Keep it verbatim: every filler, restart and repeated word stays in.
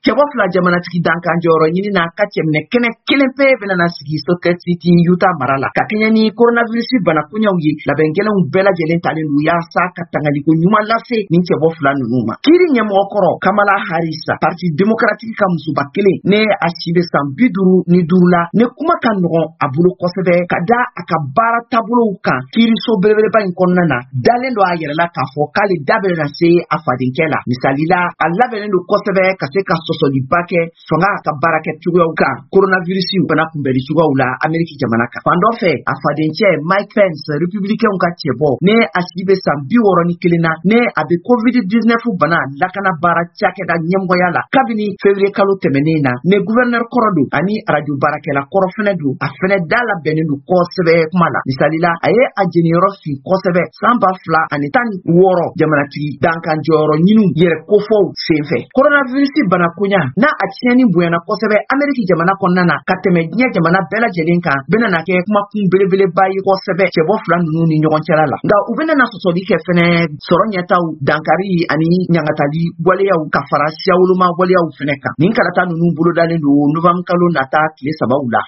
Cɛbɔ fila jamanatigi dankan jɔyɔrɔ ɲini n'a ka cɛminɛ kɛnɛ kelen pe bɛna na sigi Salt Lake City, Utah mara la. Ka kɛɲɛ ni coronavirus bana koɲɛw ye, labɛn gɛlɛnw bɛɛ lajɛlen talen don yaasa ka tangaliko ɲuman lase nin cɛbɔ fila ninnu ma. Kiiri ɲɛmɔgɔ kɔrɔ Kamala Harris, Parti démocratique ka musoba kelen, ne a si bɛ san bi duuru ni duuru la, ne kuma ka nɔgɔn a bolo kosɛbɛ ka da a ka baara taabolow kan kiiriso belebeleba in kɔnɔna na, dalen don a yɛrɛ la k'a fɔ k'ale da bɛna se a fadenkɛ la. Misali la, a labɛnnen don kosɛbɛ ka se ka sɔsɔliba kɛ fanga ka baarakɛ cogoyaw kan coronavirus bana kunbɛnli cogoyaw la Ameriki jamana kan. Fan dɔ fɛ, a fadencɛ Mike Pence, républicain ka cɛbɔ, ne a si bɛ san bi wɔɔrɔ ni kelen na, ne a bɛ covid dix-neuf bana lakana baara cakɛda ɲɛmɔgɔya la kabini février kalo tɛmɛnen na, ne gouverneur kɔrɔ don ani arajo baarakɛla kɔrɔ fɛnɛ don. A fɛnɛ da labɛnnen don kosɛbɛ kuma la. Misali la, a ye a jeniyɔrɔ fin kosɛbɛ san ba fila ani tan ni wɔɔrɔ jamanatigi dankan jɔyɔrɔ ɲiniw yɛrɛ kofɔw senfɛ. Coronavirus bana koɲa n'a a tiɲɛni bonyana kosɛbɛ Ameriki jamana kɔnɔna na ka tɛmɛ diɲɛ jamana bɛɛ lajɛlen kan, bɛna na kɛ kumakun belebeleba ye kosɛbɛ cɛbɔ fila ninnu ni ɲɔgɔn cɛla la. Nka u bɛna na sɔsɔli kɛ fɛnɛ sɔrɔ ɲɛtaw, dankari ani ɲangatali waleyaw ka fara siyawoloma waleyaw fɛnɛ kan. Nin kalata ninnu bolodalen don novembre kalo nata tile sabaw la.